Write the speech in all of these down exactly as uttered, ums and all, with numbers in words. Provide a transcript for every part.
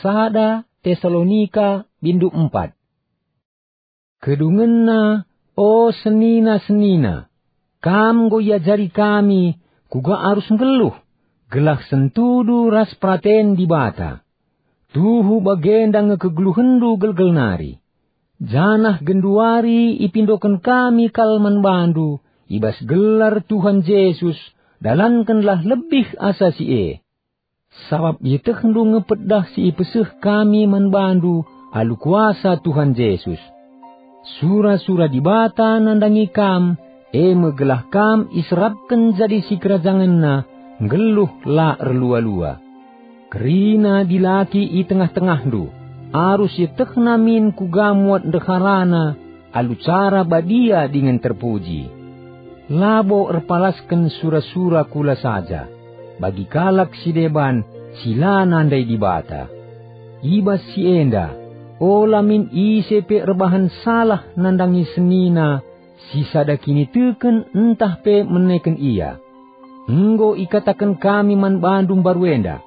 sada Tesalonika bindu empat. Kedungenna, o senina-senina, kam enggo iajari kami kuga arus nggeluh, gelah sentudu ras peraten Dibata. Tuhu bagenda nge kegeluhenndu gelgel nari. Janah genduari ipindoken kami kal man bandu i bas gelar Tuhan Jesus, dalankenlah lebih asa si e. Sabap ietehndu nge pedah si ipeseh kami man bandu alu kuasa Tuhan Jesus. Sura-sura Dibata nandangi kam, e me gelah kam iserapken jadi sikerajangenNa, nggeluh la erlua-lua. Kerina dilaki i tengah-tengahndu, arus ietehna min kuga muat ndeharana alu cara badia dingen terpuji. Labo erpalasken sura-sura kula saja, bagi kalak si deban si la nandai Dibata. I bas si enda, ola min ise pe erbahan salah nandangi senina si sada kiniteken ntah pe meneken ia. Enggo ikataken kami man bandu mbaru enda.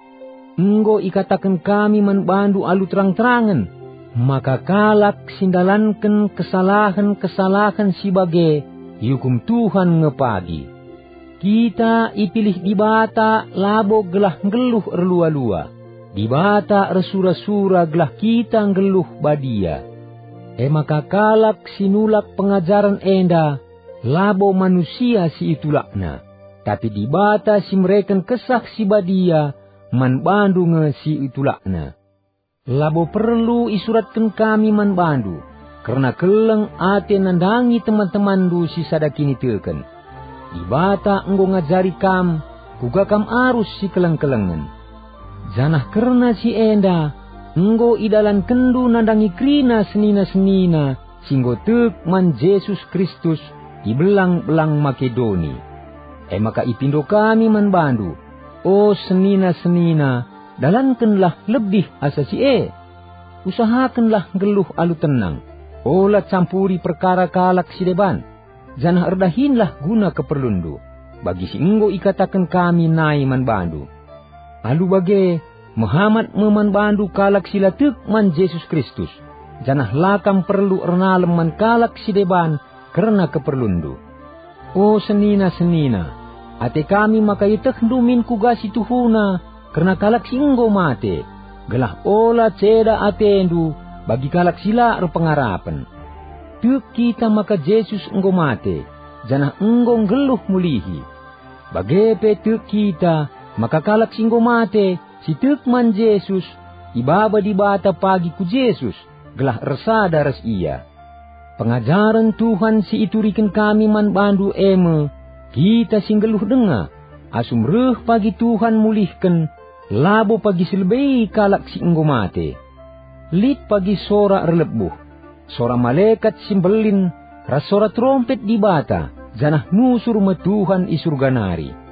Enggo ikataken kami man bandu alu terang-terangen, maka kalak si ndalanken kesalahen-kesalahen si bage iukum Tuhan nge pagi. Kita ipilih Dibata labo gelah nggeluh erlua-lua. Dibata ersura-sura gelah kita nggeluh badia. E maka kalak si nulak pengajaren enda labo manusia si itulakna, tapi Dibata si mereken Kesah Si Badia man bandu nge si itulakna. Labo perlu isuratken kami man bandu kerna keleng ate nandangi teman-temanndu si sada kiniteken. Dibata enggo ngajari kam kuga kam arus sikeleng-kelengen. Janah kerna si enda, enggo idalankenndu nandangi kerina senina-senina si enggo tek man Jesus Kristus i belang-belang Makedoni. E maka ipindo kami man bandu, o senina-senina, dalankenlah lebih asa si e. Usahakenlah nggeluh alu tenang, ola campuri perkara kalak si deban, janah erdahinlah guna keperlunndu, bagi si enggo ikataken kami nai man bandu. Alu bage, mehamat me man bandu kalak si la tek man Jesus Kristus, janah la kam perlu ernalem man kalak si deban kerna keperlunndu. O senina-senina, ate kami maka ietehndu min kuga si tuhuna kerna kalak si enggo mate, gelah ola ceda atendu bagi kalak si la erpengarapen. Tek kita maka Jesus enggo mate, janah enggo nggeluh mulihi. Bage pe tek kita maka kalak si enggo mate, si tek man Jesus, ibaba Dibata pagi ku Jesus, gelah ersada ras Ia. Pengajaren Tuhan si ituriken kami man bandu e me, kita si nggeluh denga, asum reh pagi Tuhan mulihken, labo pagi si lebe kalak si enggo mate. Lit pagi sora erlebuh, sora malekat si mbelin, ras sora terompet Dibata, janah nusur me Tuhan i Surga nari.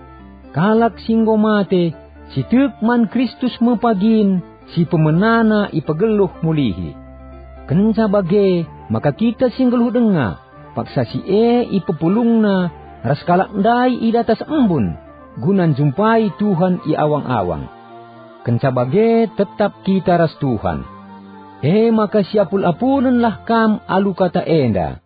Kalak si enggo mate, si tek man Kristus me pagin si pemenana ipegeluh mulihi. Kenca bage maka kita si nggeluh denga, paksa si e ipepulungna ras kalak ndai i datas embun, guna njumpai Tuhan i awang-awang. Kenca bage tetap kita ras Tuhan. E maka siapul-apulngenlah kam alu kata enda.